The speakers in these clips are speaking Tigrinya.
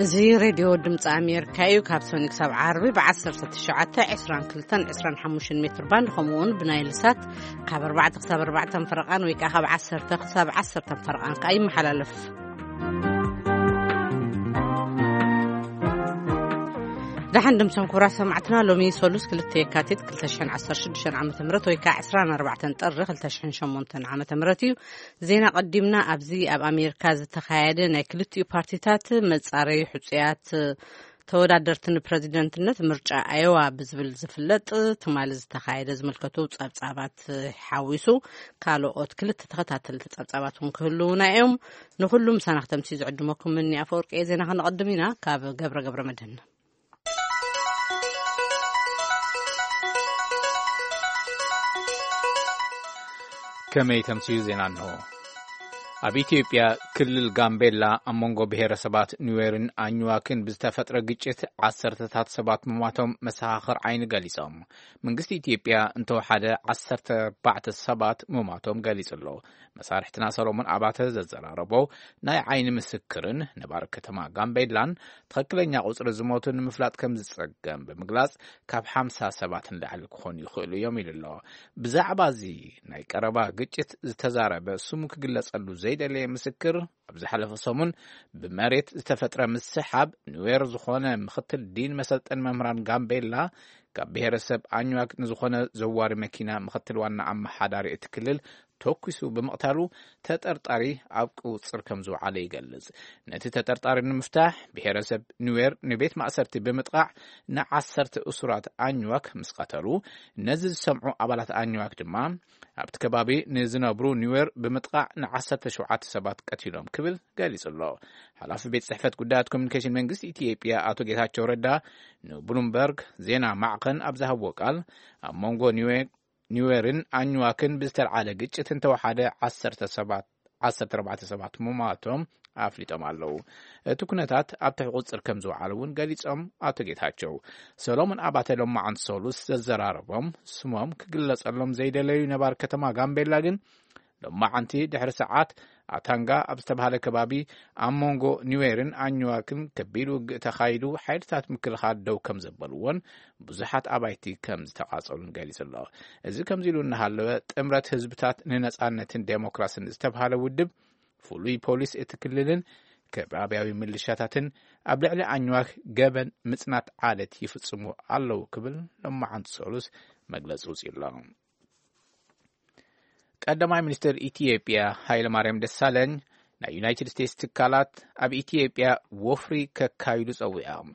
እዚ ሬድዮ ድምፂ ኣሜሪካ እዩ። ካብ ሰኒ ክሳብ ዓርቢ ብ1922 22 25 ሜትር ባንድ፣ ከምኡ እውን ብናይል ሳት ካብ ኣርባዕተ ክሳብ ኣርባዕተ ፈረቓን ወይ ከዓ ካብ ዓሰርተ ክሳብ ዓሰርተ ፈረቓን ከዓ ይመሓላለፍ። ደሓን ድምሶም ክቡራት ሰማዕትና፣ ሎሚ ሰሉስ ክልተ የካቲት ክልተ ሽሕን ዓሰርተ ሽዱሽተን ዓመተ ምህረት ወይ ከዓ ዕስራን ኣርባዕተን ጥሪ ክልተ ሽሕን ሸሞንተን ዓመተ ምህረት እዩ። ዜና ቀዲምና። ኣብዚ ኣብ ኣሜሪካ ዝተኻየደ ናይ ክልቲኡ ፓርቲታት መጻረዩ ሕጹያት ተወዳደርቲ ንፕረዚደንትነት ምርጫ ኣዮዋ ብዝብል ዝፍለጥ ትማሊ ዝተኻየደ ዝምልከቱ ጸብጻባት ሓዊሱ ካልኦት ክልተ ተኸታተልቲ ጸብጻባት እውን ክህልውና እዮም። ንኹሉ ምሳና ክተምሲ ዝዕድመኩም ምኒ ኣፈወርቂ እየ። ዜና ከነቐድም ኢና። ካብ ገብረ ገብረ መድህን። ከመይ ተምስዩ ዜና እንሆ። ኣብ ኢትዮጵያ ክልል ጋምቤላ ኣብ መንጎ ብሔረሰባት ኑዌርን ኣኝዋክን ብዝተፈጥረ ግጭት ዓሰርተታት ሰባት ምሟቶም መሰኻኽር ዓይኒ ገሊጾም። መንግስቲ ኢትዮጵያ እንተወሓደ ዓሰርተ ኣርባዕተ ሰባት ምሟቶም ገሊጹ ኣሎ። መሳርሕትና ሰሎሞን ኣባተ ዘዘራረቦ ናይ ዓይኒ ምስክርን ነባሪ ከተማ ጋምቤላን ትኽክለኛ ቁጽሪ ዝሞቱ ንምፍላጥ ከም ዝጸገም ብምግላጽ፣ ካብ ሓምሳ ሰባት ንላዕሊ ክኾኑ ይኽእሉ እዮም ኢሉ ኣሎ። ብዛዕባ እዚ ናይ ቀረባ ግጭት ዝተዛረበ ስሙ ክግለጸሉ ዘይደለየ ምስክር፣ ኣብ ዝሓለፈ ሰሙን ብመሬት ዝተፈጥረ ምስሓብ ኑዌር ዝኾነ ምኽትል ዲን መሰልጠን መምህራን ጋምቤላ ካብ ብሔረሰብ ኣኝዋክ ንዝኾነ ዘዋሪ መኪና ምኽትል ዋና ኣመሓዳሪ እቲ ክልል ተኩሱ ብምቕታሉ፣ ተጠርጣሪ ኣብ ቁጽር ከም ዝወዓለ ይገልጽ። ነቲ ተጠርጣሪ ንምፍታሕ ብሔረሰብ ኑዌር ንቤት ማእሰርቲ ብምጥቓዕ ንዓሰርተ እሱራት ኣኝዋክ ምስ ቀተሉ፣ ነዚ ዝሰምዑ ኣባላት ኣኝዋክ ድማ ኣብቲ ከባቢ ንዝነብሩ ኑዌር ብምጥቓዕ ንዓሰርተ ሸውዓተ ሰባት ቀቲሎም ክብል ገሊጹ ኣሎ። ሓላፊ ቤት ጽሕፈት ጉዳያት ኮሚኒኬሽን መንግስቲ ኢትዮጵያ ኣቶ ጌታቸው ረዳ ንብሉምበርግ ዜና ማዕኸን ኣብ ዝሃብዎ ቃል፣ ኣብ መንጎ ኒዌ-፣ ኒዌርን ኣኝዋክን ብዝተልዓለ ግጭት እንተወሓደ ዓሰርተ ሰባት፣ ዓሰርተ ኣርባዕተ ሰባት ምሟቶም ኣፍሊጦም ኣለዉ። እቲ ኩነታት ኣብ ትሕቲ ቁጽር ከም ዝወዓለ እውን ገሊጾም ኣቶ ጌታቸው። ሰሎሞን ኣባተ ሎማዓንቲ ሰሉስ ዘዘራረቦም ስሞም ክግለጸሎም ዘይደለዩ ነባር ከተማ ጋምቤላ ግን፣ ሎማዓንቲ ድሕሪ ሰዓት ኣታንጋ ኣብ ዝተባህለ ከባቢ ኣብ መንጎ ኒዌርን ኣኝዋክን ከቢድ ውግእ ተኻይዱ፣ ሓይልታት ምክልኻል ደው ከም ዘበልዎን ብዙሓት ኣባይቲ ከም ዝተቓጸሉን ገሊጹ ኣሎ። እዚ ከምዚ ኢሉ እናሃለወ፣ ጥምረት ህዝብታት ንነጻነትን ዴሞክራስን ዝተባህለ ውድብ፣ ፍሉይ ፖሊስ እቲ ክልልን ከባብያዊ ምልሻታትን ኣብ ልዕሊ ኣኝዋክ ገበን ምጽናት ዓለት ይፍጽሙ ኣለዉ ክብል ሎማዓንቲ ሰሉስ መግለጺ ውጽኡ ኣሎ። ቀዳማይ ሚኒስትር ኢትዮጵያ ሃይለማርያም ደሳለኝ፣ ናይ ዩናይትድ ስቴትስ ትካላት ኣብ ኢትዮጵያ ወፍሪ ከካይዱ ጸዊዖም።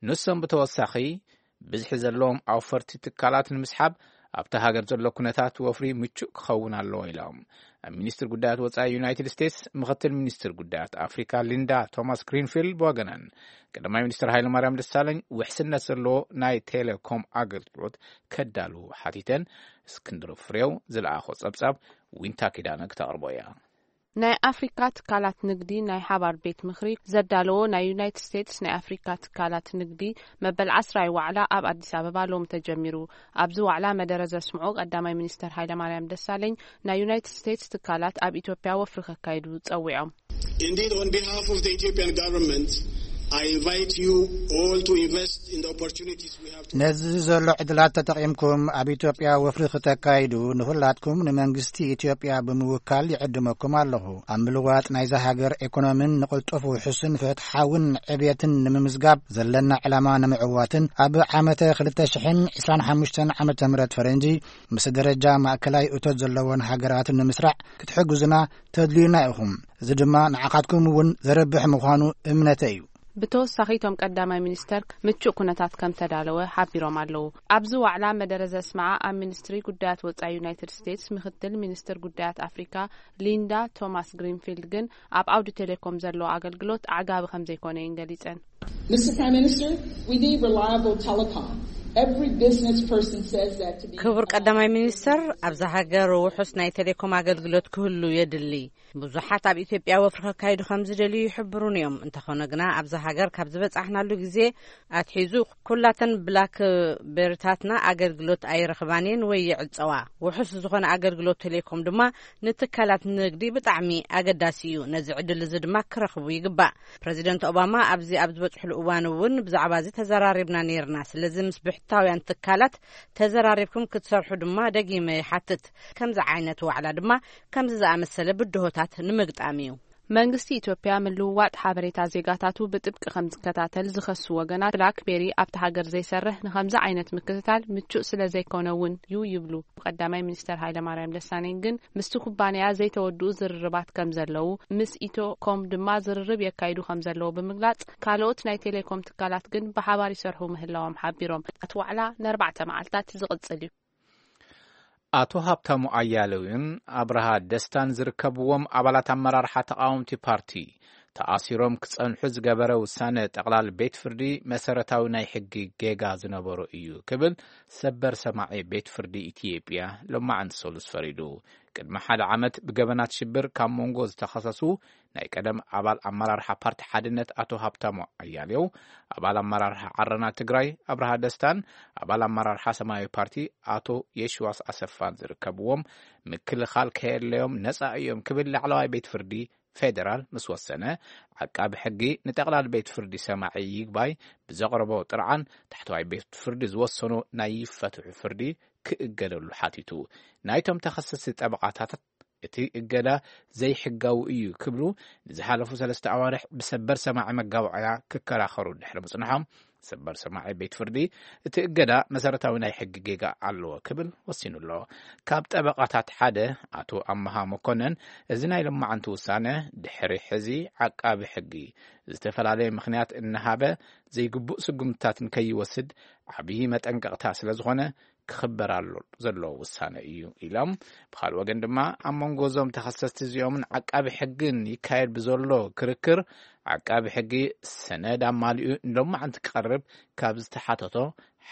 ንሶም ብተወሳኺ፣ ብዝሒ ዘለዎም ኣውፈርቲ ትካላት ንምስሓብ ኣብታ ሃገር ዘሎ ኩነታት ወፍሪ ምቹእ ክኸውን ኣለዎ ኢሎም። ኣብ ሚኒስትር ጉዳያት ወጻኢ ዩናይትድ ስቴትስ ምኽትል ሚኒስትር ጉዳያት ኣፍሪካ ሊንዳ ቶማስ ግሪንፊልድ ብወገነን፣ ቀዳማይ ሚኒስትር ሃይለማርያም ደሳለኝ ውሕስነት ዘለዎ ናይ ቴሌኮም ኣገልግሎት ከዳልዉ ሓቲተን። እስክንድር ፍሬው ዝለኣኾ ጸብጻብ ዊንታ ኪዳነ ክተቕርቦ እያ። ናይ ኣፍሪካ ትካላት ንግዲ ናይ ሓባር ቤት ምኽሪ ዘዳለዎ ናይ ዩናይትድ ስቴትስ ናይ ኣፍሪካ ትካላት ንግዲ መበል ዓስራይ ዋዕላ ኣብ ኣዲስ ኣበባ ሎሚ ተጀሚሩ። ኣብዚ ዋዕላ መደረ ዘስምዑ ቀዳማይ ሚኒስተር ሃይለማርያም ደሳለኝ፣ ናይ ዩናይትድ ስቴትስ ትካላት ኣብ ኢትዮጵያ ወፍሪ ከካይዱ ጸዊዖም። Indeed, on behalf of the Ethiopian government, I invite you all to invest in the opportunities we have to ነዚ ዘሎ ዕድላት ተጠቒምኩም ኣብ ኢትዮጵያ ወፍሪ ክተካይዱ ንኹላትኩም ንመንግስቲ ኢትዮጵያ ብምውካል ይዕድመኩም ኣለኹ። ኣብ ምልዋጥ ናይዛ ሃገር ኢኮኖሚን ንቕልጡፍ ውሑስን ፍትሓውን ዕብየትን ንምምዝጋብ ዘለና ዕላማ ንምዕዋትን ኣብ ዓመተ ክልተ ሽሕን ዕስራን ሓሙሽተን ዓመተ ምህረት ፈረንጂ ምስ ደረጃ ማእከላይ እቶት ዘለወን ሃገራት ንምስራዕ ክትሕግዙና ተድልዩና ኢኹም። እዚ ድማ ንዓኻትኩም እውን ዘርብሕ ምዃኑ እምነተይ እዩ። ብተወሳኺ፣ እቶም ቀዳማይ ሚኒስተር ምቹእ ኩነታት ከም ተዳለወ ሓቢሮም ኣለዉ። ኣብዚ ዋዕላ መደረ ዘስምዓ ኣብ ሚኒስትሪ ጉዳያት ወጻኢ ዩናይትድ ስቴትስ ምኽትል ሚኒስትር ጉዳያት ኣፍሪካ ሊንዳ ቶማስ ግሪንፊልድ ግን፣ ኣብ ዓውዲ ቴሌኮም ዘሎ ኣገልግሎት ኣዕጋቢ ከም ዘይኮነ እየን ገሊጸን። Mister Prime Minister, we need reliable telecom. Every business person says that to be ክቡር ቀዳማይ ሚኒስተር፣ ኣብዛ ሃገር ውሑስ ናይ ቴሌኮም ኣገልግሎት ክህሉ የድሊ። ብዙሓት ኣብ ኢትዮጵያ ወፍሪ ከካይዱ ከም ዝደልዩ ይሕብሩን እዮም። እንተኾነ ግና፣ ኣብዛ ሃገር ካብ ዝበጻሕናሉ ግዜ ኣትሒዙ፣ ኩላተን ብላክ ቤሪታትና ኣገልግሎት ኣይረኽባን እየን ወይ ይዕጸዋ። ውሑስ ዝኾነ ኣገልግሎት ቴሌኮም ድማ ንትካላት ንግዲ ብጣዕሚ ኣገዳሲ እዩ። ነዚ ዕድል እዚ ድማ ክረኽቡ ይግባእ። ፕረዚደንት ኦባማ ኣብዚ ኣብ ዝበጽሕሉ እዋን እውን ብዛዕባ እዚ ተዘራሪብና ነይርና። ስለዚ ምስ ብሕታውያን ትካላት ተዘራሪብኩም ክትሰርሑ ድማ ደጊመ ይሓትት። ከምዚ ዓይነት ዋዕላ ድማ ከምዚ ዝኣመሰለ ብድሆታት ንምግጣም እዩ። መንግስቲ ኢትዮጵያ ምልውዋጥ ሓበሬታ ዜጋታቱ ብጥብቂ ከም ዝከታተል ዝኸሱ ወገናት፣ ብላክቤሪ ኣብቲ ሃገር ዘይሰርሕ ንኸምዚ ዓይነት ምክትታል ምቹእ ስለ ዘይኮነ እውን እዩ ይብሉ። ቀዳማይ ሚኒስተር ሃይለማርያም ደሳለኝ ግን ምስቲ ኩባንያ ዘይተወድኡ ዝርርባት ከም ዘለዉ፣ ምስ ኢትዮ ኮም ድማ ዝርርብ የካይዱ ከም ዘለዉ ብምግላጽ፣ ካልኦት ናይ ቴሌኮም ትካላት ግን ብሓባር ይሰርሑ ምህላዎም ሓቢሮም። እቲ ዋዕላ ንኣርባዕተ መዓልታት ዝቕጽል እዩ። ኣቶ ሃብታሙ ኣያሌውን ኣብርሃ ደስታን ዝርከብዎም ኣባላት ኣመራርሓ ተቓወምቲ ፓርቲ ተኣሲሮም ክጸንሑ ዝገበረ ውሳነ ጠቕላል ቤት ፍርዲ መሰረታዊ ናይ ሕጊ ጌጋ ዝነበሮ እዩ ክብል ሰበር ሰማዒ ቤት ፍርዲ ኢትዮጵያ ሎማዕንቲ ሰሉስ ፈሪዱ። ቅድሚ ሓደ ዓመት ብገበናት ሽብር ካብ መንጎ ዝተኸሰሱ ናይ ቀደም ኣባል ኣመራርሓ ፓርቲ ሓድነት ኣቶ ሃብታሙ ኣያሌው፣ ኣባል ኣመራርሓ ዓረና ትግራይ ኣብርሃ ደስታን ኣባል ኣመራርሓ ሰማያዊ ፓርቲ ኣቶ የሽዋስ ኣሰፋን ዝርከብዎም፣ ምክልኻል ከየድለዮም ነጻ እዮም ክብል ላዕለዋይ ቤት ፍርዲ ፌደራል ምስ ወሰነ፣ ዓቃቢ ሕጊ ንጠቕላል ቤት ፍርዲ ሰማዒ ይግባይ ብዘቕረቦ ጥርዓን፣ ታሕተዋይ ቤት ፍርዲ ዝወሰኖ ናይ ይፈትሑ ፍርዲ ክእገደሉ ሓቲቱ። ናይቶም ተኸሰስቲ ጠበቓታት እቲ እገዳ ዘይሕጋዊ እዩ ክብሉ ንዝሓለፉ ሰለስተ ኣዋርሕ ብሰበር ሰማዒ መጋባእያ ክከራኸሩ ድሕሪ ምጽንሖም፣ ሰበር ሰማዒ ቤት ፍርዲ እቲ እገዳ መሰረታዊ ናይ ሕጊ ጌጋ ኣለዎ ክብል ወሲኑ ኣሎ። ካብ ጠበቓታት ሓደ ኣቶ ኣመሃ መኮነን፣ እዚ ናይ ሎማዓንቲ ውሳነ ድሕሪ ሕዚ ዓቃቢ ሕጊ ዝተፈላለየ ምኽንያት እናሃበ ዘይግቡእ ስጉምትታት ንከይወስድ ዓብዪ መጠንቀቕታ ስለ ዝኾነ ክኽበር ኣሎ ዘለዎ ውሳነ እዩ ኢሎም። ብኻልእ ወገን ድማ ኣብ መንጎ እዞም ተኸሰስቲ እዚኦምን ዓቃቢ ሕግን ይካየድ ብዘሎ ክርክር ዓቃቢ ሕጊ ሰነድ ኣማሊኡ ንሎማዓንቲ ክቐርብ ካብ ዝተሓተቶ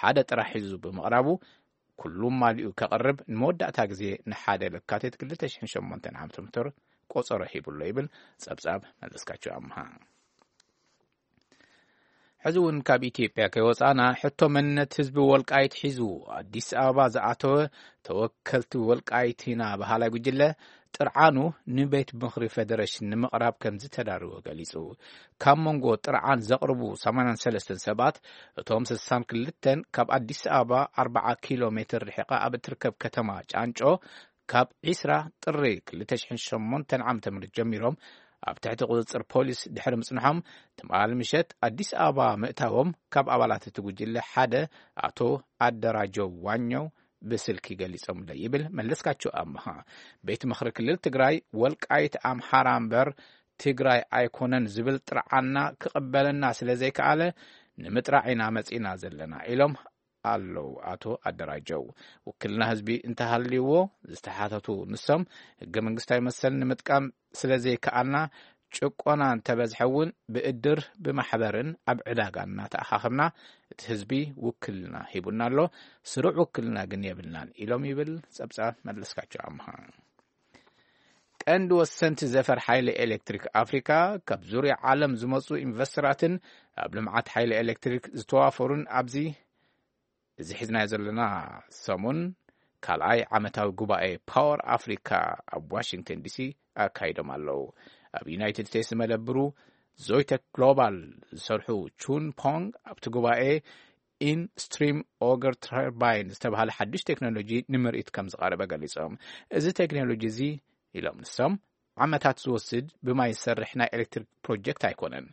ሓደ ጥራሕ ሒዙ ብምቕራቡ ኩሉ ማሊኡ ከቕርብ ንመወዳእታ ግዜ ንሓደ ለካቲት ክልተ ሽሕን ሸሞንተን ዓመተ ምህረት ቆጸሮ ሂቡሎ ይብል ጸብጻብ መለስካቸው ኣምሃ። ሕዚ እውን ካብ ኢትዮጵያ ከይወጻና ሕቶ መንነት ህዝቢ ወልቃይት ሒዙ ኣዲስ ኣበባ ዝኣተወ ተወከልቲ ወልቃይት ኢና በሃላይ ጉጅለ ጥርዓኑ ንቤት ምኽሪ ፌደሬሽን ንምቕራብ ከም ዝተዳረወ ገሊጹ። ካብ መንጎ ጥርዓን ዘቕርቡ ሰማንያን ሰለስተን ሰባት እቶም ስሳን ክልተን ካብ ኣዲስ ኣበባ ኣርብዓ ኪሎ ሜትር ርሒቓ ኣብ እትርከብ ከተማ ጫንጮ ካብ ዒስራ ጥሪ ክልተ ሽሕን ሸሞንተን ዓመተ ምህረት ጀሚሮም ኣብ ትሕቲ ቁጽጽር ፖሊስ ድሕሪ ምጽንሖም፣ ትማሊ ምሸት ኣዲስ ኣበባ ምእታዎም ካብ ኣባላት እቲ ጉጅለ ሓደ ኣቶ ኣደራጀው ዋኘው ብስልኪ ገሊጾምለይ ይብል መለስካቸው ኣምሃ። ቤት ምኽሪ ክልል ትግራይ ወልቃይት ኣምሓራ እምበር ትግራይ ኣይኮነን ዝብል ጥርዓና ክቕበለና ስለ ዘይከኣለ ንምጥራዕ ኢና መጺና ዘለና ኢሎም ኣለዉ ኣቶ ኣደራጀው። ውክልና ህዝቢ እንተሃልይዎ ዝተሓተቱ ንሶም፣ ህገ መንግስታዊ መሰል ንምጥቃም ስለ ዘይከኣልና፣ ጭቆና እንተበዝሐ እውን ብእድር ብማሕበርን ኣብ ዕዳጋ እናተኣኻኸብና እቲ ህዝቢ ውክልና ሂቡና ኣሎ፣ ስሩዕ ውክልና ግን የብልናን ኢሎም ይብል ጸብጻብ መለስካቸው ኣምሃ። ቀንዲ ወሰንቲ ዘፈር ሓይሊ ኤሌክትሪክ ኣፍሪካ ካብ ዙርያ ዓለም ዝመፁ ኢንቨስተራትን ኣብ ልምዓት ሓይሊ ኤሌክትሪክ ዝተዋፈሩን ኣብዚ እዚ ሒዝናዮ ዘለና ሰሙን ካልኣይ ዓመታዊ ጉባኤ ፓወር ኣፍሪካ ኣብ ዋሽንግተን ዲሲ ኣካይዶም ኣለዉ። ኣብ ዩናይትድ ስቴትስ መደብሩ ዞይተክ ግሎባል ዝሰርሑ ቹን ፖንግ ኣብቲ ጉባኤ ኢን ስትሪም ኦገር ተርባይን ዝተባሃለ ሓዱሽ ቴክኖሎጂ ንምርኢት ከም ዝቐረበ ገሊጾም። እዚ ቴክኖሎጂ እዚ ኢሎም ንሶም ዓመታት ዝወስድ ብማይ ዝሰርሕ ናይ ኤሌክትሪክ ፕሮጀክት ኣይኮነን።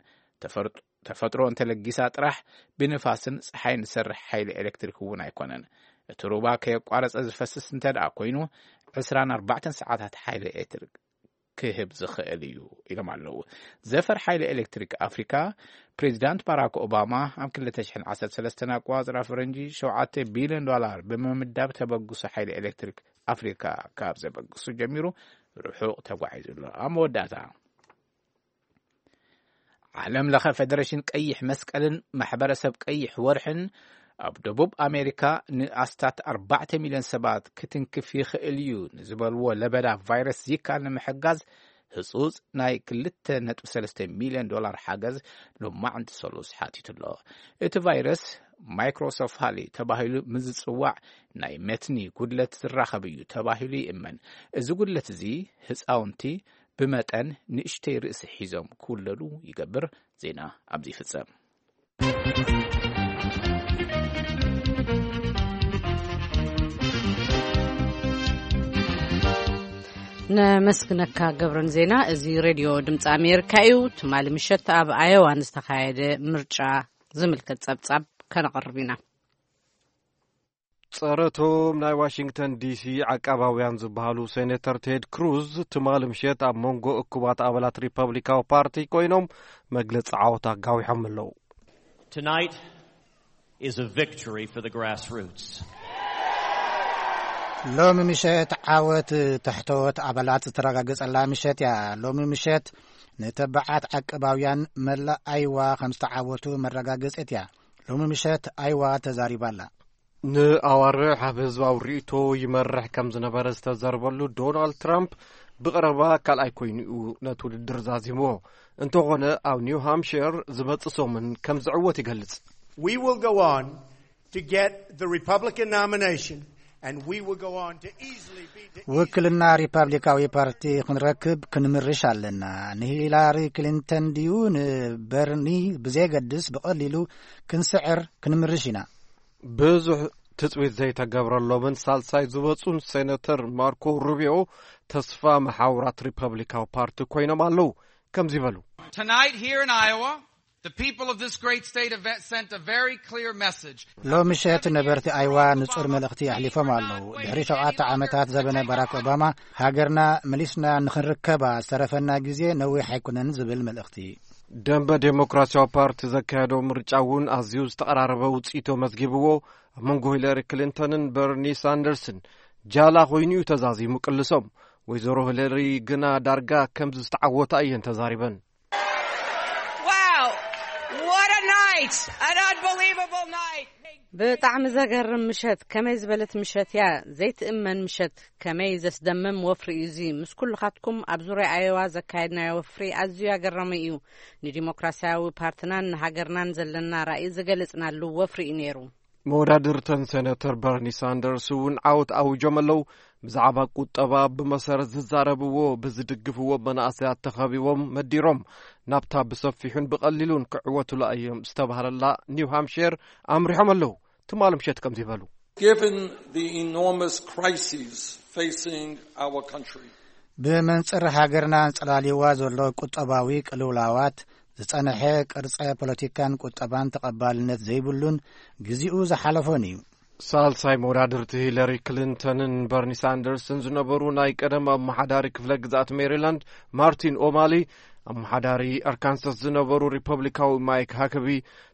ተፈርጥ- ተፈጥሮ እንተለጊሳ ጥራሕ ብንፋስን ጸሓይን ዝሰርሕ ሓይሊ ኤሌክትሪክ እውን ኣይኮነን። እቲ ሩባ ከየቋረጸ ዝፈስስ እንተ ደኣ ኮይኑ ዕስራን ኣርባዕተን ሰዓታት ሓይሊ ኤሌክትሪክ ክህብ ዝኽእል እዩ ኢሎም ኣለዉ። ዘፈር ሓይሊ ኤሌክትሪክ ኣፍሪካ ፕሬዚዳንት ባራክ ኦባማ ኣብ ክልተ ሽሕን ዓሰርተ ሰለስተን ኣቆጻጽራ ፈረንጂ ሸውዓተ ቢልዮን ዶላር ብምምዳብ ተበግሶ ሓይሊ ኤሌክትሪክ ኣፍሪካ ካብ ዘበግሱ ጀሚሩ ርሑቕ ተጓዒዙ ኣሎ። ኣብ መወዳእታ ዓለም ለኸ ፌደሬሽን ቀይሕ መስቀልን ማሕበረሰብ ቀይሕ ወርሕን ኣብ ደቡብ ኣሜሪካ ንኣስታት ኣርባዕተ ሚልዮን ሰባት ክትንክፍ ይኽእል እዩ ንዝበልዎ ለበዳ ቫይረስ ዚካ ንምሕጋዝ ህጹጽ ናይ ክልተ ነጥቢ ሰለስተ ሚልዮን ዶላር ሓገዝ ሎማዕንቲ ሰሉስ ሓቲቱ ኣሎ። እቲ ቫይረስ ማይክሮሶፋሊ ተባሂሉ ምስ ዝጽዋዕ ናይ መትኒ ጉድለት ዝራኸብ እዩ ተባሂሉ ይእመን። እዚ ጉድለት እዚ ህጻውንቲ ብመጠን ንእሽተይ ርእሲ ሒዞም ክውለዱ ይገብር። ዜና ኣብዚ ይፍጸም። ነመስግነካ ገብረን ዜና። እዚ ሬድዮ ድምፂ ኣሜሪካ እዩ። ትማሊ ምሸት ኣብ ኣዮዋ ንዝተኻየደ ምርጫ ዝምልከት ጸብጻብ ከነቕርብ ኢና። ጸረቶም ናይ ዋሽንግተን ዲሲ ዓቃባውያን ዝበሃሉ ሴኔተር ቴድ ክሩዝ ትማሊ ምሸት ኣብ መንጎ እኩባት ኣባላት ሪፐብሊካዊ ፓርቲ ኮይኖም መግለጺ ዓወት ኣጋዊሖም ኣለዉ። Tonight is a victory for the grassroots. ሎሚ ምሸት ዓወት ታሕተዎት ኣባላት ዝተረጋገጸላ ምሸት እያ። ሎሚ ምሸት ንተባዓት ዓቀባውያን መላእ ኣይዋ ከም ዝተዓወቱ መረጋገጺት እያ። ሎሚ ምሸት ኣይዋ ተዛሪባላ። ንኣዋርሕ ኣብ ህዝባዊ ርእይቶ ይመርሕ ከም ዝነበረ ዝተዘርበሉ ዶናልድ ትራምፕ ብቐረባ ካልኣይ ኮይኑ እዩ ነቲ ውድድር ዛዚምዎ። እንተኾነ ኣብ ኒው ሃምሽር ዝመጽእ ሰሙን ከም ዝዕወት ይገልጽ። We will go on to get the Republican nomination and we will go on to easily be ውክልና ሪፓብሊካዊ ፓርቲ ክንረክብ ክንምርሽ ኣለና። ንሂላሪ ክሊንተን ድዩ ንበርኒ ብዘየገድስ ብቐሊሉ ክንስዕር ክንምርሽ ኢና። ብዙሕ ትጽቢት ዘይተገብረሎምን ሳልሳይ ዝበጹን ሴነተር ማርኮ ሩቢዮ ተስፋ መሓውራት ሪፐብሊካዊ ፓርቲ ኮይኖም ኣለዉ። ከምዚ በሉ። Tonight here in Iowa, the people of this great state have sent a very clear message. ሎሚ ምሸት ነበርቲ ኣይዋ ንጹር መልእኽቲ ኣሕሊፎም ኣለዉ። ድሕሪ ሸውዓተ ዓመታት ዘበነ ባራክ ኦባማ ሃገርና መሊስና ንኽንርከባ ዝተረፈና ግዜ ነዊሕ ኣይኮነን ዝብል መልእኽቲ። ደንበ ዴሞክራሲያዊ ፓርቲ ዘካየዶ ምርጫ እውን ኣዝዩ ዝተቐራረበ ውጽኢት መዝጊብዎ። ኣብ መንጎ ሂለሪ ክሊንተንን በርኒ ሳንደርስን ጃላ ኮይኑ እዩ ተዛዚሙ ቅልሶም። ወይዘሮ ሂለሪ ግና ዳርጋ ከም ዝተዓወታ እየን ተዛሪበን። Wow! What a night! An unbelievable night! ብጣዕሚ ዘገርም ምሸት። ከመይ ዝበለት ምሸት እያ! ዘይትእመን ምሸት። ከመይ ዘስደምም ወፍሪ እዩ እዚ። ምስ ኩልኻትኩም ኣብ ዙርያ ኣዮዋ ዘካየድናዮ ወፍሪ ኣዝዩ ኣገራሚ እዩ። ንዲሞክራሲያዊ ፓርትናን ንሃገርናን ዘለና ራእይ ዝገለጽናሉ ወፍሪ እዩ ነይሩ። መወዳድርተን ሴነተር በርኒ ሳንደርስ እውን ዓወት ኣውጆም ኣለዉ። ብዛዕባ ቁጠባ ብመሰረት ዝዛረብዎ ብዝድግፍዎ መናእሰያት ተኸቢቦም መዲሮም ናብታ ብሰፊሑን ብቐሊሉን ክዕወቱላ እዮም ዝተባህለላ ኒው ሃምሽር ኣምሪሖም ኣለዉ። ትማሊ ምሸት ከምዚ ይበሉ። Given the enormous crises facing our country, ብመንጽር ሃገርና ኣንጸላልይዋ ዘሎ ቁጠባዊ ቅልውላዋት፣ ዝጸንሐ ቅርጸ ፖለቲካን ቁጠባን ተቐባልነት ዘይብሉን ግዜኡ ዝሓለፎን እዩ። ሳልሳይ መወዳድርቲ ሂለሪ ክሊንተንን በርኒ ሳንደርስን ዝነበሩ ናይ ቀደም ኣመሓዳሪ ክፍለ ግዝኣት ሜሪላንድ ማርቲን ኦማሊ፣ ኣመሓዳሪ ኣርካንሳስ ዝነበሩ ሪፐብሊካዊ ማይክ ሃከቢ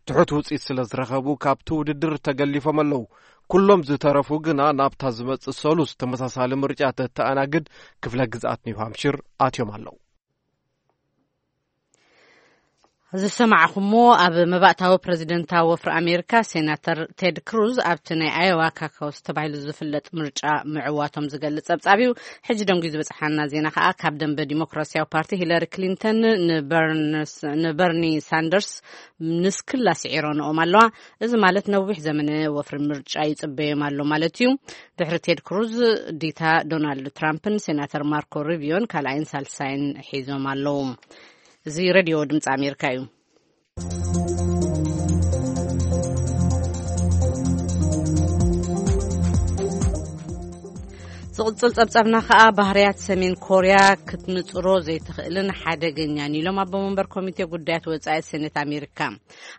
ትሑት ውጽኢት ስለ ዝረኸቡ ካብቲ ውድድር ተገሊፎም ኣለዉ። ኩሎም ዝተረፉ ግና ናብታ ዝመጽእ ሰሉስ ተመሳሳሊ ምርጫ ተተኣናግድ ክፍለ ግዝኣት ኒው ሃምሽር ኣትዮም ኣለዉ። ዝሰማዕኹምዎ ኣብ መባእታዊ ፕረዚደንታዊ ወፍሪ ኣሜሪካ ሴናተር ቴድ ክሩዝ ኣብቲ ናይ ኣዮዋ ካካውስ ተባሂሉ ዝፍለጥ ምርጫ ምዕዋቶም ዝገልጽ ጸብጻብ እዩ። ሕጂ ደንጉዩ ዝበጽሓና ዜና ከኣ ካብ ደንበ ዲሞክራሲያዊ ፓርቲ ሂለሪ ክሊንተን ንበርንስ-፣ ንበርኒ ሳንደርስ ንስክላ ስዒረንኦም ኣለዋ። እዚ ማለት ነዊሕ ዘመነ ወፍሪ ምርጫ ይጽበዮም ኣሎ ማለት እዩ። ድሕሪ ቴድ ክሩዝ ዲታ ዶናልድ ትራምፕን ሴናተር ማርኮ ሩቢዮን ካልኣይን ሳልሳይን ሒዞም ኣለዉ። እዚ ሬድዮ ድምፂ ኣሜሪካ እዩ። ዝቕጽል ጸብጻብና ከኣ ባህርያት ሰሜን ኮርያ ክትንጽሮ ዘይትኽእልን ሓደገኛን ኢሎም ኣቦ መንበር ኮሚቴ ጉዳያት ወጻኢ ሴኔት ኣሜሪካ።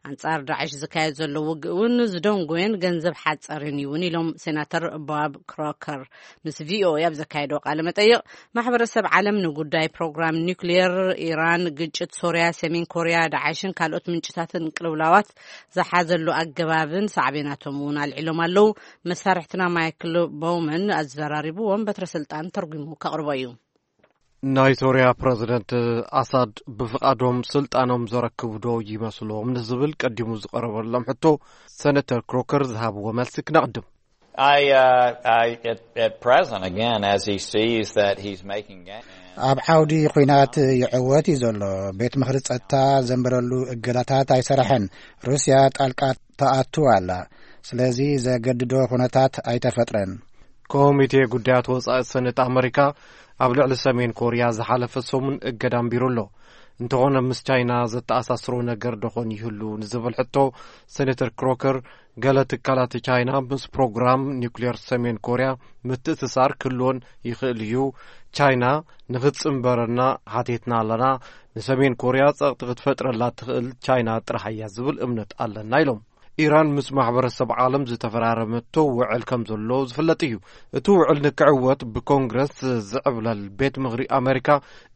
ኣንጻር ዳዕሽ ዝካየድ ዘሎ ውግእ እውን ዝደንጎየን ገንዘብ ሓጸርን እዩ እውን ኢሎም ሴናተር ቦብ ክሮከር ምስ ቪኦኤ ኣብ ዘካየዶ ቃለ መጠይቕ። ማሕበረሰብ ዓለም ንጉዳይ ፕሮግራም ኒውክሊየር ኢራን፣ ግጭት ሶርያ፣ ሰሜን ኮርያ፣ ዳዕሽን ካልኦት ምንጭታትን ቅልውላዋት ዝሓዘሉ ኣገባብን ሳዕቤናቶም እውን ኣልዒሎም ኣለዉ። መሳርሕትና ማይክል ቦውመን ኣዘራሪብዎም በትረ ስልጣን ተርጉሙ ከቕርቦ እዩ። ናይ ሶርያ ፕረዚደንት ኣሳድ ብፍቓዶም ስልጣኖም ዘረክቡ ዶ ይመስሎም ንዝብል ቀዲሙ ዝቐረበሎም ሕቶ፣ ሰነተር ክሮከር ዝሃብዎ መልሲ ክነቕድም። I, uh, I, at, at present, again, as he sees that he's making gains. ኣብ ዓውዲ ኲናት ይዕወት እዩ ዘሎ። ቤት ምኽሪ ጸጥታ ዘንበረሉ እገዳታት ኣይሰራሐን። ሩስያ ጣልቃ ተኣቱ ኣላ። ስለዚ ዘገድዶ ኩነታት ኣይተፈጥረን። ኮሚቴ ጉዳያት ወጻኢ ሰነት ኣመሪካ ኣብ ልዕሊ ሰሜን ኮርያ ዝሓለፈ ሰሙን እገዳ ኣንቢሩ ኣሎ። እንተኾነ ምስ ቻይና ዘተኣሳስሮ ነገር ደኾን ይህሉ ንዝብል ሕቶ፣ ሴኔተር ክሮከር፣ ገለ ትካላት ቻይና ምስ ፕሮግራም ኒውክሌር ሰሜን ኮርያ ምትእስሳር ክህልዎን ይኽእል እዩ። ቻይና ንኽትጽንበረና ሓቲትና ኣለና። ንሰሜን ኮርያ ጸቕጢ ክትፈጥረላ ትኽእል ቻይና ጥራሕ እያ ዝብል እምነት ኣለና ኢሎም። ኢራን ምስ ማሕበረሰብ ዓለም ዝተፈራረመቶ ውዕል ከም ዘሎ ዝፍለጥ እዩ። እቲ ውዕል ንክዕወት ብኮንግረስ ዝዕብለል ቤት ምኽሪ ኣሜሪካ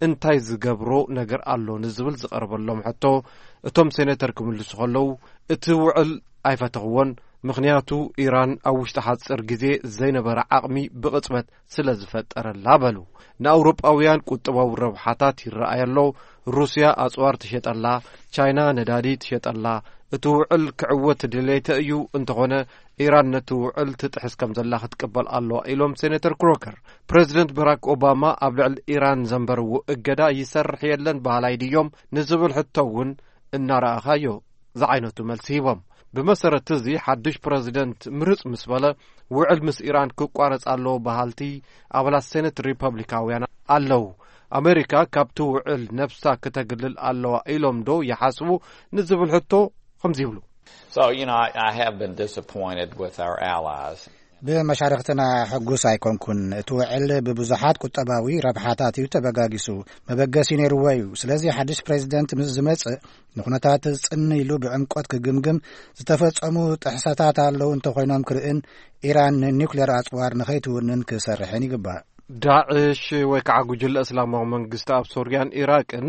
እንታይ ዝገብሮ ነገር ኣሎ ንዝብል ዝቐረበሎም ሕቶ፣ እቶም ሴኔተር ክምልሱ ከለዉ፣ እቲ ውዕል ኣይፈተኽዎን፣ ምኽንያቱ ኢራን ኣብ ውሽጢ ሓፂር ግዜ ዘይነበረ ዓቕሚ ብቕፅበት ስለ ዝፈጠረላ በሉ። ንኣውሮጳውያን ቁጠባዊ ረብሓታት ይረኣይ ኣሎ። ሩስያ ኣፅዋር ትሸጠላ፣ ቻይና ነዳዲ ትሸጠላ። እቲ ውዕል ክዕወት ድሌተ እዩ፣ እንተኾነ ኢራን ነቲ ውዕል ትጥሕስ ከም ዘላ ክትቅበል ኣለዋ ኢሎም ሴኔተር ክሮከር። ፕረዚደንት በራክ ኦባማ ኣብ ልዕሊ ኢራን ዘንበርዎ እገዳ ይሰርሕ የለን በሃላይ ድዮም ንዝብል ሕቶ እውን እናረኣኻዮ ዝዓይነቱ መልሲ ሂቦም። ብመሰረት እዚ ሓድሽ ፕረዚደንት ምርጽ ምስ በለ፣ ውዕል ምስ ኢራን ክቋረጽ ኣለዎ በሃልቲ ኣባላት ሴኔት ሪፐብሊካውያን ኣለዉ። ኣሜሪካ ካብቲ ውዕል ነብሳ ክተግልል ኣለዋ ኢሎም ዶ ይሓስቡ ንዝብል ሕቶ ከምዚ ይብሉ። So, you know, I, I have been disappointed with our allies. ብመሻርኽትና ሕጉስ ኣይኮንኩን። እቲ ውዕል ብብዙሓት ቁጠባዊ ረብሓታት እዩ ተበጋጊሱ። መበገሲ ነይርዎ እዩ። ስለዚ ሓድሽ ፕሬዚደንት ምስ ዝመጽእ ንኩነታት ጽን ኢሉ ብዕምቆት ክግምግም፣ ዝተፈጸሙ ጥሕሰታት ኣለዉ እንተኾይኖም ክርእን ኢራን ንኒውክሌር ኣጽዋር ንኸይትውንን ክሰርሕን ይግባእ። ዳዕሽ ወይ ከዓ ጉጅለ እስላማዊ መንግስቲ ኣብ ሶርያን ኢራቅን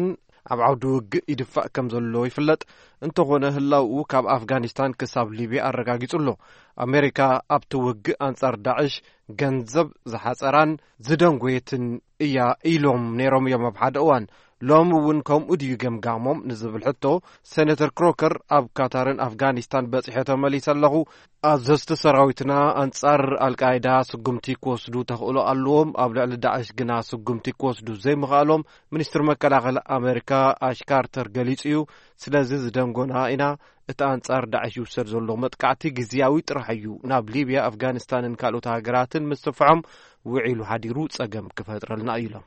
ኣብ ዓውዲ ውግእ ይድፋእ ከም ዘሎ ይፍለጥ። እንተኾነ ህላውኡ ካብ ኣፍጋኒስታን ክሳብ ሊብያ ኣረጋጊጹ ኣሎ። ኣሜሪካ ኣብቲ ውግእ ኣንጻር ዳዕሽ ገንዘብ ዝሓጸራን ዝደንጎየትን እያ ኢሎም ነይሮም እዮም ኣብ ሓደ እዋን። ሎሚ እውን ከምኡ ድዩ ገምጋሞም ንዝብል ሕቶ፣ ሴኔተር ክሮከር ኣብ ካታርን ኣፍጋኒስታን በጺሐ ተመሊሰ ኣለኹ። ኣዘዝቲ ሰራዊትና ኣንጻር ኣልቃይዳ ስጉምቲ ክወስዱ ተኽእሎ ኣለዎም፣ ኣብ ልዕሊ ዳዕሽ ግና ስጉምቲ ክወስዱ ዘይምኽኣሎም ሚኒስትሪ መከላኸሊ ኣሜሪካ ኣሽ ካርተር ገሊጹ እዩ። ስለዚ ዝደንጎና ኢና። እቲ ኣንጻር ዳዕሽ ይውሰድ ዘሎ መጥቃዕቲ ግዝያዊ ጥራሕ እዩ። ናብ ሊብያ፣ ኣፍጋኒስታንን ካልኦት ሃገራትን ምስፍሖም ውዒሉ ሓዲሩ ጸገም ክፈጥረልና እዩ ኢሎም።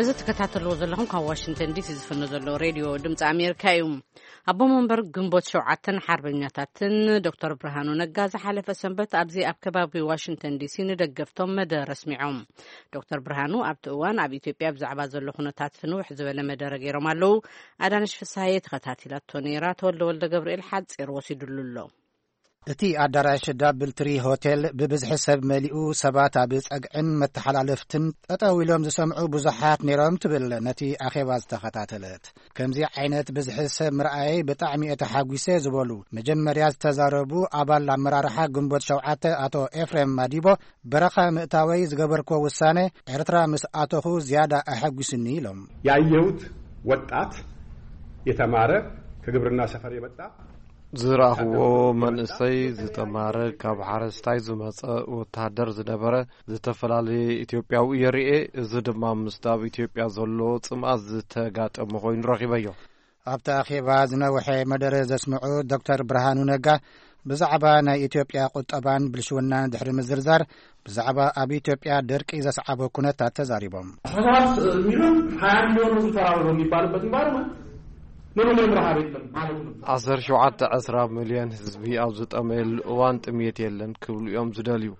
እዚ ትከታተልዎ ዘለኹም ካብ ዋሽንግተን ዲሲ ዝፍኖ ዘሎ ሬድዮ ድምፂ ኣሜሪካ እዩ። ኣቦ መንበር ግንቦት ሸውዓተን ሓርበኛታትን ዶክተር ብርሃኑ ነጋ ዝሓለፈ ሰንበት ኣብዚ ኣብ ከባቢ ዋሽንግተን ዲሲ ንደገፍቶም መደረ ኣስሚዖም። ዶክተር ብርሃኑ ኣብቲ እዋን ኣብ ኢትዮጵያ ብዛዕባ ዘሎ ኩነታት ፍንውሕ ዝበለ መደረ ገይሮም ኣለዉ። ኣዳነሽ ፍስሃየ ተኸታቲላቶ ነይራ። ተወልደ ወልደ ገብርኤል ሓፂር ወሲዱሉ ኣሎ። እቲ ኣዳራሽ ዳብል ትሪ ሆቴል ብብዝሒ ሰብ መሊኡ፣ ሰባት ኣብ ጸግዕን መተሓላለፍትን ጠጠው ኢሎም ዝሰምዑ ብዙሓት ነይሮም ትብል ነቲ ኣኼባ ዝተኸታተለት። ከምዚ ዓይነት ብዝሒ ሰብ ምርኣየይ ብጣዕሚ እየ ተሓጒሰ ዝበሉ መጀመርያ ዝተዛረቡ ኣባል ኣመራርሓ ግንቦት ሸውዓተ ኣቶ ኤፍሬም ማዲቦ፣ በረኻ ምእታወይ ዝገበርክዎ ውሳነ ኤርትራ ምስ ኣተኹ ዝያዳ ኣሐጒስኒ ኢሎም። ያየሁት ወጣት የተማረ ከግብርና ሰፈር የመጣ ዝረኣኽዎ መንእሰይ ዝተማረ ካብ ሓረስታይ ዝመጸ ወተሃደር ዝነበረ ዝተፈላለየ ኢትዮጵያዊ እየ ርኤ። እዚ ድማ ምስቲ ኣብ ኢትዮጵያ ዘሎ ጽምኣት ዝተጋጠመ ኮይኑ ረኺበዮ። ኣብቲ ኣኼባ ዝነውሐ መደረ ዘስምዑ ዶክተር ብርሃኑ ነጋ ብዛዕባ ናይ ኢትዮጵያ ቁጠባን ብልሽውናን ድሕሪ ምዝርዛር፣ ብዛዕባ ኣብ ኢትዮጵያ ደርቂ ዘስዓቦ ኩነታት ተዛሪቦም። አስራ ሰባት ሚሊዮን፣ ሃያ ሚሊዮን ህዝብ ተራበ በሚባልበት ኢንቫይሮንመንት ምንም ምንም ረሃብ የለም ማለት ነው። ዓሰርተ ሸውዓተ ዕስራ ሚልዮን ህዝቢ ኣብ ዝጠመየሉ እዋን ጥምየት የለን ክብሉ እዮም ዝደልዩ።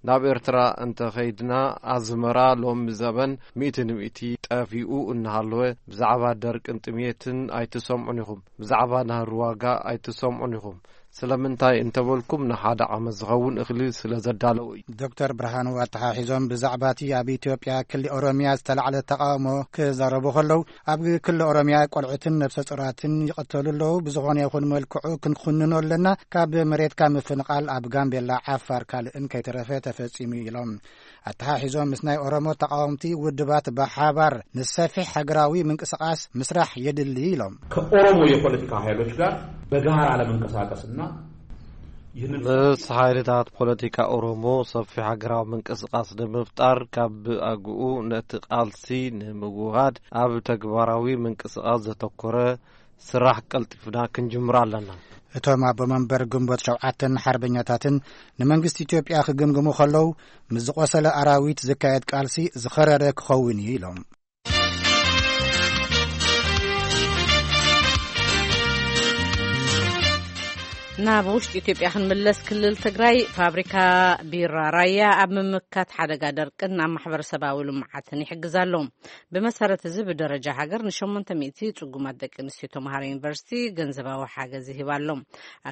ናብ ኤርትራ እንተኸይድና ኣዝመራ ሎሚ ዘበን ሚእቲ ንሚእቲ ጠፊኡ እናሃለወ ብዛዕባ ደርቅን ጥምየትን ኣይትሰምዑን ኢኹም። ብዛዕባ ናህሪ ዋጋ ኣይትሰምዑን ኢኹም። ስለምንታይ እንተበልኩም፣ ንሓደ ዓመት ዝኸውን እኽሊ ስለ ዘዳለዉ እዩ። ዶክተር ብርሃኑ ኣተሓሒዞም ብዛዕባ እቲ ኣብ ኢትዮጵያ ክሊ ኦሮሚያ ዝተላዕለ ተቃውሞ ክዛረቡ ከለዉ፣ ኣብ ክሊ ኦሮሚያ ቆልዑትን ነፍሰ ጾራትን ይቐተሉ ኣለዉ። ብዝኾነ ይኹን መልክዑ ክንኩንኖ ኣለና። ካብ መሬትካ ምፍንቓል ኣብ ጋምቤላ፣ ዓፋር፣ ካልእን ከይተረፈ ተፈጺሙ ኢሎም። ኣተሓሒዞም ምስ ናይ ኦሮሞ ተቃወምቲ ውድባት ብሓባር ንሰፊሕ ሃገራዊ ምንቅስቃስ ምስራሕ የድሊ ኢሎም። ከኦሮሞ የፖለቲካ ኃይሎች ጋር በጋራ ለመንቀሳቀስና ይህንን ምስ ሓይልታት ፖለቲካ ኦሮሞ ሰፊሕ ሃገራዊ ምንቅስቃስ ንምፍጣር ካብ ኣግኡ ነቲ ቃልሲ ንምውሃድ ኣብ ተግባራዊ ምንቅስቃስ ዘተኮረ ስራሕ ቀልጢፍና ክንጅምር ኣለና። እቶም ኣቦ መንበር ግንቦት ሸውዓተን ሓርበኛታትን ንመንግስቲ ኢትዮጵያ ክግምግሙ ከለዉ፣ ምስ ዝቆሰለ ኣራዊት ዝካየድ ቃልሲ ዝኸረረ ክኸውን እዩ ኢሎም። ናብ ውሽጢ ኢትዮጵያ ክንምለስ፣ ክልል ትግራይ ፋብሪካ ቢራ ራያ ኣብ ምምካት ሓደጋ ደርቅን ኣብ ማሕበረሰባዊ ልምዓትን ይሕግዝ ኣሎ። ብመሰረት እዚ፣ ብደረጃ ሃገር ንሸሞንተ ሚእቲ ጽጉማት ደቂ ኣንስትዮ ተምሃሮ ዩኒቨርሲቲ ገንዘባዊ ሓገዝ ይህብ ኣሎ።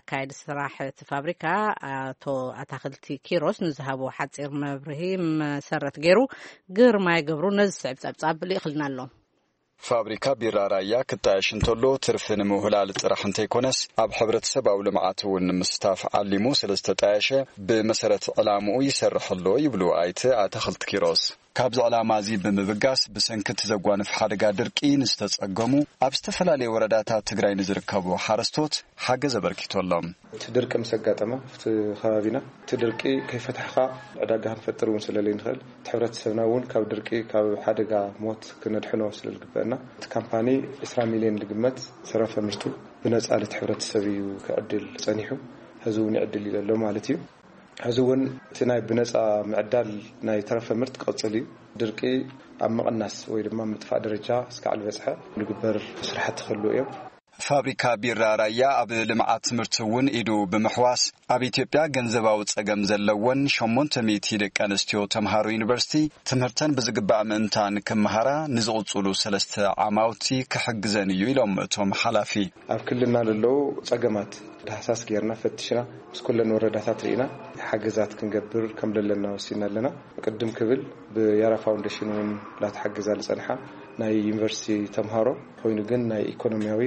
ኣካየዲ ስራሕ እቲ ፋብሪካ ኣቶ ኣታኽልቲ ኪሮስ ንዝሃቦ ሓጺር መብርሂ መሰረት ገይሩ፣ ግርማይ ገብሩ ነዚ ዝስዕብ ጸብጻብ ልኢኽልና ኣሎ። ፋብሪካ ቢራ ራያ ክጣየሽ እንተሎ፣ ትርፊ ንምውህላል ጥራሕ እንተይኮነስ፣ ኣብ ሕብረተሰባዊ ልምዓት እውን ንምስታፍ ዓሊሙ ስለ ዝተጣየሸ፣ ብመሰረት ዕላምኡ ይሰርሕ ኣሎ ይብሉ ኣይተ ኣታኽልቲ ኪሮስ። ካብዚ ዕላማ እዚ ብምብጋስ፣ ብሰንኪ እቲ ዘጓንፍ ሓደጋ ድርቂ ንዝተጸገሙ፣ ኣብ ዝተፈላለዩ ወረዳታት ትግራይ ንዝርከቡ ሓረስቶት ሓገዝ ኣበርኪቱ ኣሎ። እቲ ድርቂ ምስ ኣጋጠመ፣ ኣብቲ ከባቢና እቲ ድርቂ ከይፈታሕኻ ዕዳጋ ክንፈጥር እውን ስለ ዘይንኽእል፣ እቲ ሕብረተሰብና እውን ካብ ድርቂ፣ ካብ ሓደጋ ሞት ክነድሕኖ ስለ ዝግበአና፣ እቲ ካምፓኒ ዕስራ ሚልዮን ዝግመት ተረፈ ምርቱ ብነጻ ለቲ ሕብረተሰብ እዩ ክዕድል ጸኒሑ። ሕዚ እውን ይዕድል እዩ ዘሎ ማለት እዩ። ሕዚ እውን እቲ ናይ ብነጻ ምዕዳል ናይ ተረፈ ምርት ክቕጽል እዩ። ድርቂ ኣብ ምቕናስ ወይ ድማ ምጥፋእ ደረጃ እስካዕ ዝበጽሐ ዝግበር ስራሕቲ ክህልዉ እዮም። ፋብሪካ ቢራ ራያ ኣብ ልምዓት ትምህርቲ እውን ኢዱ ብምሕዋስ፣ ኣብ ኢትዮጵያ ገንዘባዊ ጸገም ዘለወን ሸሞንተ ሚእቲ ደቂ ኣንስትዮ ተምሃሮ ዩኒቨርሲቲ ትምህርተን ብዝግባእ ምእንታን ክመሃራ ንዝቕጽሉ ሰለስተ ዓማውቲ ክሕግዘን እዩ ኢሎም እቶም ሓላፊ። ኣብ ክልልና ለለዉ ጸገማት ዳህሳስ ጌርና ፈትሽና፣ ምስ ኩለን ወረዳታት ርኢና ሓገዛት ክንገብር ከም ለለና ወሲና ኣለና። ቅድም ክብል ብያራ ፋውንዴሽን እውን ላተሓገዛ ዝጸንሓ ናይ ዩኒቨርሲቲ ተምሃሮ ኮይኑ ግን ናይ ኢኮኖሚያዊ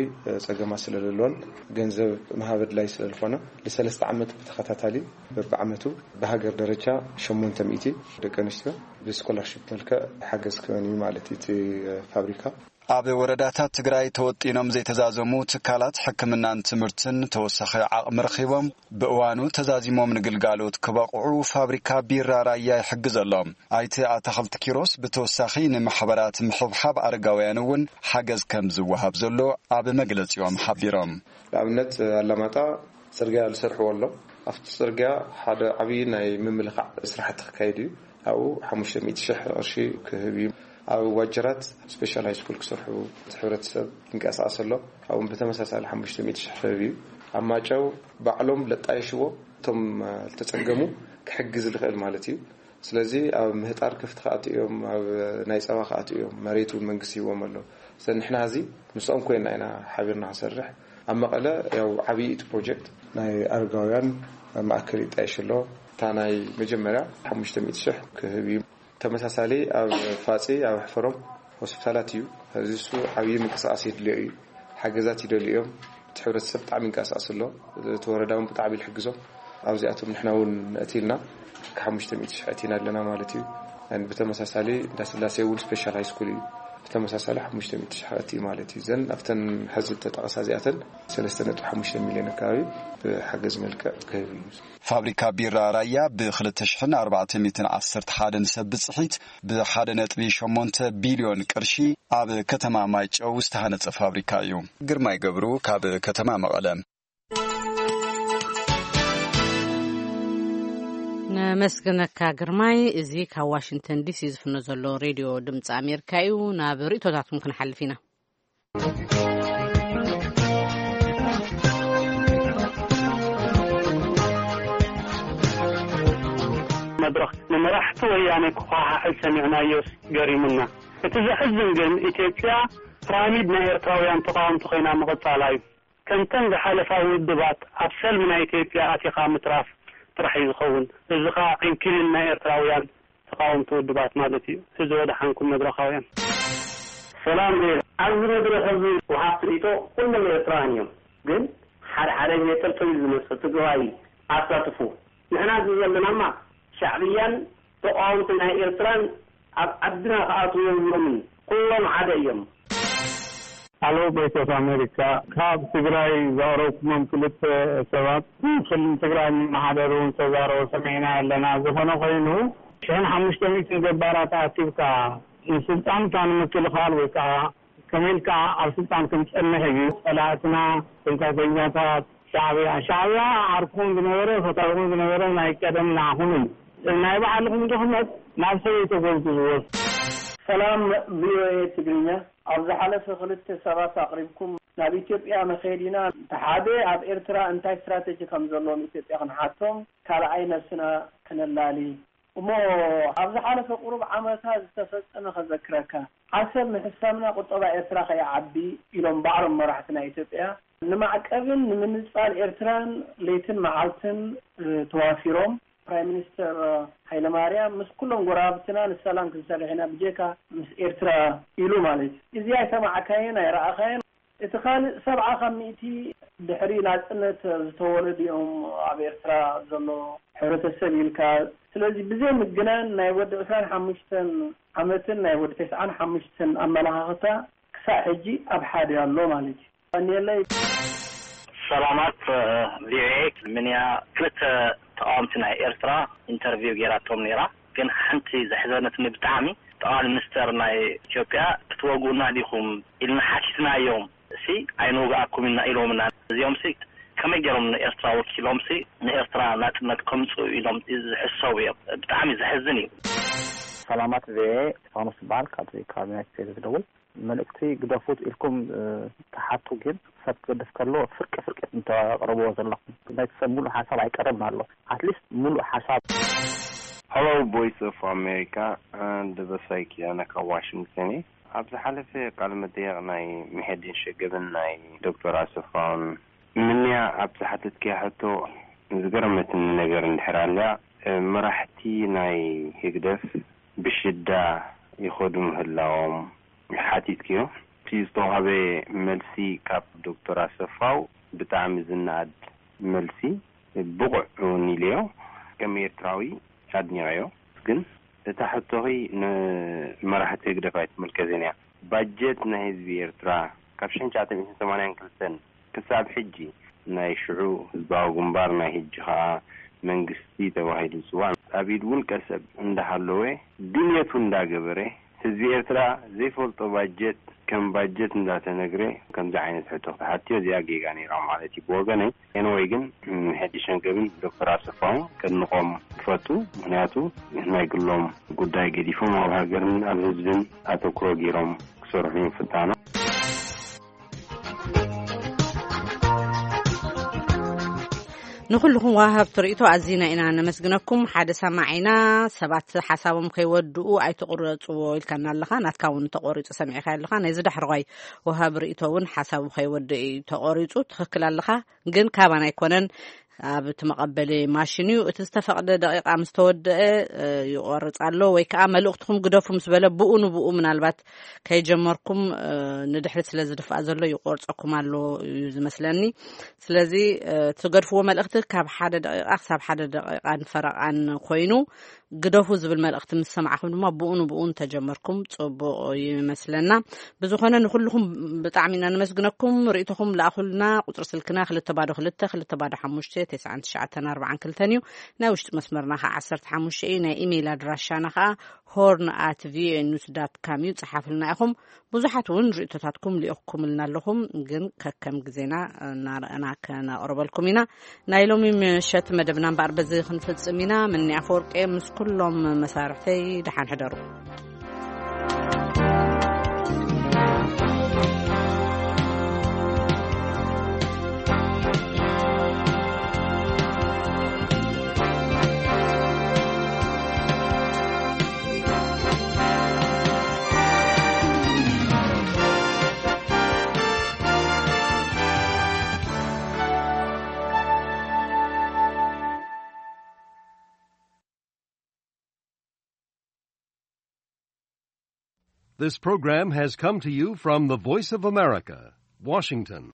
ጸገማት ስለ ዘለዎን ገንዘብ ምሃብ ኣድላይ ስለ ዝኾነ፣ ንሰለስተ ዓመት ብተኸታታሊ በብዓመቱ ብሃገር ደረጃ ሸሞንተ ሚእቲ ደቂ ኣንስትዮ ብስኮላርሺፕ መልክዕ ሓገዝ ክህበን እዩ ማለት እዩ እቲ ፋብሪካ። ኣብ ወረዳታት ትግራይ ተወጢኖም ዘይተዛዘሙ ትካላት ሕክምናን ትምህርትን ተወሳኺ ዓቕሚ ረኺቦም ብእዋኑ ተዛዚሞም ንግልጋሎት ክበቕዑ ፋብሪካ ቢራ ራያ ይሕግዘሎም። ኣይተ ኣታኽልቲ ኪሮስ ብተወሳኺ ንማሕበራት ምሕብሓብ ኣረጋውያን እውን ሓገዝ ከም ዝወሃብ ዘሎ ኣብ መግለጺኦም ሓቢሮም። ንኣብነት ኣላማጣ ጽርግያ ዝሰርሕዎ ኣሎ። ኣብቲ ጽርግያ ሓደ ዓብዪ ናይ ምምልኻዕ ስራሕቲ ክካየድ እዩ። ኣብኡ ሓሙሽተ ሚእቲ ሽሕ ቅርሺ ክህብ እዩ። ኣብ ዋጀራት ስፔሻል ሃይ ስኩል ክሰርሑ እቲ ሕብረተሰብ ይንቀሳቐስ ኣሎ። ኣብኡ ብተመሳሳሊ ሓሙሽተ ሚእቲ ሽሕ ክህብ እዩ። ኣብ ማጨው ባዕሎም ለጣየሽዎ እቶም ዝተጸገሙ ክሕግዝ ዝኽእል ማለት እዩ። ስለዚ ኣብ ምህጣር ከፍቲ ክኣትኡ እዮም፣ ኣብ ናይ ጸባ ክኣትኡ እዮም። መሬት እውን መንግስቲ ይህቦም ኣሎ። ስለዚ ንሕና እዚ ምስኦም ኮይና ኢና ሓቢርና ክንሰርሕ። ኣብ መቐለ ያው ዓብዪ እቲ ፕሮጀክት ናይ ኣረጋውያን ማእከል ይጣየሽ ኣሎ። እታ ናይ መጀመርያ ሓሙሽተ ሚእቲ ሽሕ ክህብ እዩ። ተመሳሳሊ ኣብ ፋጺ ኣብ ሕፈሮም ሆስፒታላት እዩ። እዚ እሱ ዓብዪ ምንቅስቃስ የድልዮ እዩ። ሓገዛት ይደልዩ እዮም። እቲ ሕብረተሰብ ብጣዕሚ ይንቀሳቀስ ኣሎ። እቲ ወረዳ እውን ብጣዕሚ ይሕግዞም። ኣብዚኣቶም ንሕና እውን ነእቲ ኢልና ሓሙሽተ ሚእቲ ሽሕ ኣእቲና ኣለና ማለት እዩ። ብተመሳሳሊ እንዳስላሴ እውን ስፔሻል ሃይ ስኩል እዩ። ብተመሳሳሊ ሓሙሽተ ሚእቲ ሽሕ ኣእቲ ማለት እዩ። ዘን ኣብተን ሕዚ ተጠቐሳ እዚኣተን ሰለስተ ነጥቢ ሓሙሽተ ሚልዮን ኣካባቢ ብሓገዝ መልክዕ ክህብ እዩ። ፋብሪካ ቢራ ራያ ብ ክልተ ሽሕን ኣርባዕተ ሚእትን ዓሰርተ ሓደን ሰብ ብጽሒት ብ ሓደ ነጥቢ ሸሞንተ ቢልዮን ቅርሺ ኣብ ከተማ ማይጨው ዝተሃነጸ ፋብሪካ እዩ። ግርማይ ገብሩ ካብ ከተማ መቐለ። ነመስግነካ ግርማይ። እዚ ካብ ዋሽንግተን ዲሲ ዝፍኖ ዘሎ ሬድዮ ድምፂ ኣሜሪካ እዩ። ናብ ርእቶታትኩም ክንሓልፍ ኢና። መድረኽ ንመራሕቲ ወያነ ክኳሓሕል ሰሚዕናዮስ ገሪሙና። እቲ ዘሕዝን ግን ኢትዮጵያ ፒራሚድ ናይ ኤርትራውያን ተቓወምቲ ኮይና ምቕጻላ እዩ። እተን ዝሓለፋ ውድባት ኣብ ሰልሚ ናይ ኢትዮጵያ ኣቲኻ ምትራፍ ጥራሕ እዩ ዝኸውን። እዚ ኸኣ ዕንኪሊል ናይ ኤርትራውያን ተቓወምቲ ውድባት ማለት እዩ። እዚ ወደሓንኩም መድረኻውያን። ሰላም ዜና። ኣብዚ መድረኽ እዚ ወሃብቲ ርእይቶ ኩሎም ኤርትራውያን እዮም። ግን ሓደ ሓደ ሜተር ተቢሉ ዝመጽእ ትግራዋይ ኣሳትፉ። ንሕና እዚ ዘለናማ ሻዕብያን ተቓወምቲ ናይ ኤርትራን ኣብ ዓድና ክኣትዉ የብሎምን። ኩሎም ሓደ እዮም። ኣሎ ቮይስ ኦፍ ኣሜሪካ፣ ካብ ትግራይ ዘቕረብኩሞም ክልተ ሰባት ክልል ትግራይ እናሓደሩ ዝተዛረቡ ሰሚዕና ኣለና። ዝኾነ ኮይኑ ሽሕን ሓሙሽተ ሚእትን ገባራት ኣኪብካ ንስልጣንካ ንምክልኻል ወይ ከዓ ከመይ ኢልካ ኣብ ስልጣን ክንጸንሕ እዩ ጸላእትና፣ ጽንፈተኛታት፣ ሻዕብያ። ሻዕብያ ዓርኩም ዝነበረ፣ ፈታውኩም ዝነበረ ናይ ቀደም ንዓኹም እዩ። ናይ ባዕልኹም ድኽመት ናብ ሰበይተ ጎልጉዝዎ። ሰላም ቪኦኤ ትግርኛ። ኣብ ዝሓለፈ ክልተ ሰባት ኣቕሪብኩም ናብ ኢትዮጵያ መኸዲና፣ እቲ ሓደ ኣብ ኤርትራ እንታይ ስትራተጂ ከም ዘለዎም ኢትዮጵያ ክንሓቶም፣ ካልኣይ ነብስና ክነላሊ። እሞ ኣብ ዝሓለፈ ቁሩብ ዓመታት ዝተፈጸመ ከዘክረካ። ዓሰብ ምሕሳምና ቁጠባ ኤርትራ ከይዓቢ ኢሎም ባዕሎም መራሕቲ ናይ ኢትዮጵያ ንማዕቀብን ንምንጻል ኤርትራን ለይትን መዓልትን ተዋፊሮም። ፕራይም ሚኒስተር ሃይለማርያም ምስ ኩሎም ጎረባብትና ንሰላም ክንሰርሕ ኢና ብጀካ ምስ ኤርትራ ኢሉ ማለት እዩ። እዚ ኣይሰማዕካዮን ኣይረኣኻዮን። እቲ ካልእ ሰብዓ ካብ ሚእቲ ድሕሪ ናጽነት ዝተወለዱ እዮም ኣብ ኤርትራ ዘሎ ሕብረተሰብ ኢልካ። ስለዚ ብዘይ ምግናን ናይ ወዲ ዕስራን ሓሙሽተን ዓመትን ናይ ወዲ ተስዓን ሓሙሽተን ኣመለኻኽታ ክሳዕ ሕጂ ኣብ ሓደ ኣሎ ማለት እዩ። ቀንየለይ። ሰላማት ቪኦኤ። ምንያ ክልተ ተቃወምቲ ናይ ኤርትራ ኢንተርቪው ጌራቶም ነይራ። ግን ሓንቲ ዘሕዘነትኒ ብጣዕሚ ጠቅላይ ሚኒስተር ናይ ኢትዮጵያ ክትወግኡና ዲኹም ኢልና ሓቲትናዮም ሲ ኣይንወግኣኩም ኢና ኢሎምና። እዚኦም ሲ ከመይ ገይሮም ንኤርትራ ወኪሎም ሲ ንኤርትራ ናጽነት ከምጽኡ ኢሎም ዝሕሰቡ እዮም። ብጣዕሚ ዘሕዝን እዩ። ሰላማት ቪኦኤ። እስጢፋኖስ ይበሃል። ካብዚ ካብ ዩናይትድ ስቴትስ ዝደውል። መልእክቲ ግደፉት ኢልኩም ትሓቱ፣ ግን ሰብ ክገድፍ ከሎ ፍርቂ ፍርቂ እንተቕርብዎ ዘለኹም፣ ናይቲ ሰብ ሙሉእ ሓሳብ ኣይቀረብን ኣሎ። ኣትሊስት ሙሉእ ሓሳብ። ሄሎ ቮይስ ኦፍ ኣሜሪካ። ደበሳይ ኪዳነ ካብ ዋሽንግተን እየ። ኣብ ዝሓለፈ ቃለ መጠየቕ ናይ ምሕዲን ሸገብን ናይ ዶክተር ኣሰፋውን ምንያ ኣብ ዝሓተትክያ ሕቶ ዝገረመትኒ ነገር እንድሕር ኣልያ፣ መራሕቲ ናይ ህግደፍ ብሽዳ ይኸዱ ምህላዎም ሓቲትክዮ። እቲ ዝተዋህበ መልሲ ካብ ዶክተር ኣሰፋው ብጣዕሚ ዝነኣድ መልሲ፣ ብቑዕ እውን ኢለዮ። ከም ኤርትራዊ ኣድኒቐዮ። ግን እታ ሕቶኺ ንመራሕቲ ህግደፍ ኣይትምልከትን እያ። ባጀት ናይ ህዝቢ ኤርትራ ካብ ሽሕን ትሽዓተ ሚእትን ሰማንያን ክልተን ክሳብ ሕጂ፣ ናይ ሽዑ ህዝባዊ ግንባር፣ ናይ ሕጂ ኸኣ መንግስቲ ተባሂሉ ዝጽዋዕ፣ ኣብ ኢድ ውልቀ ሰብ እንዳሃለወ፣ ድልየቱ እንዳገበረ፣ ህዝቢ ኤርትራ ዘይፈልጦ ባጀት ከም ባጀት እንዳተነግረ ከምዚ ዓይነት ሕቶ ክትሓትዮ፣ እዚኣ ጌጋ ነይራ ማለት እዩ ብወገነይ። ኤንወይ ግን፣ ሕዲ ሸንገብን ዶክተር ኣሰፋውን ከድንቖም ክፈቱ። ምኽንያቱ ናይ ግሎም ጉዳይ ገዲፎም ኣብ ሃገርን ኣብ ህዝብን ኣተኩሮ ገይሮም ክሰርሑ ምፍታኖም። ንኹልኹም ወሃብቲ ርእይቶ ኣዚና ኢና ነመስግነኩም። ሓደ ሰማዒና፣ ሰባት ሓሳቦም ከይወድኡ ኣይትቑረጽዎ ኢልካና ኣለኻ። ናትካ እውን ተቖሪጹ ሰሚዕካ ኣለኻ። ናይዚ ዳሕረዋይ ወሃቢ ርእይቶ እውን ሓሳቡ ከይወድእ እዩ ተቖሪጹ። ትኽክል ኣለኻ፣ ግን ካባና ኣይኮነን፣ ኣብ እቲ መቐበሊ ማሽን እዩ። እቲ ዝተፈቕደ ደቂቓ ምስ ተወደአ፣ እ፣ ይቖርጽ ኣሎ፣ ወይ ከኣ መልእኽትኹም ግደፉ ምስ በለ ብኡ ንብኡ ምናልባት ከይጀመርኩም፣ እ፣ ንድሕሪት ስለ ዝድፋእ ዘሎ ይቆርጸኩም ኣሎ እዩ ዝመስለኒ። ስለዚ፣ እ፣ ትገድፍዎ መልእኽቲ ካብ ሓደ ደቂቓ ክሳብ ሓደ ደቂቓን ፈረቓን ኮይኑ፣ ግደፉ ዝብል መልእኽቲ ምስ ሰማዕኹም ድማ ብኡ ንብኡ እንተጀመርኩም ጽቡቕ ይመስለና። ብዝኾነ ንኹልኹም ብጣዕሚ ኢና ነመስግነኩም። ርእይቶኹም ለኣኹልና። ቁጽሪ ስልክና ክልተ ባዶ ክልተ፣ ክልተ ባዶ ሓሙሽተ፣ ተስዓን ትሽዓተን ኣርባዓን ክልተን እዩ። ናይ ውሽጢ መስመርና ኸዓ ዓሰርተ ሓሙሽተ እዩ። ናይ ኢሜይል ኣድራሻና ኸዓ ሆርን ኣት ቪኦኤ ኒውስ ዳት ካም እዩ። ጸሓፍልና ኢኹም። ብዙሓት እውን ርእይቶታትኩም ልኢኹምልና ኣለኹም፣ ግን ከከም ግዜና እናረኣና ከነቕርበልኩም ኢና። ናይ ሎሚ ምሸት መደብና እምበኣር በዚ ክንፍጽም ኢና። ምኒ ኣፈወርቂ ምስ ኩሎም መሳርሕተይ ደሓን ሕደሩ። This program has come to you from the Voice of America, Washington.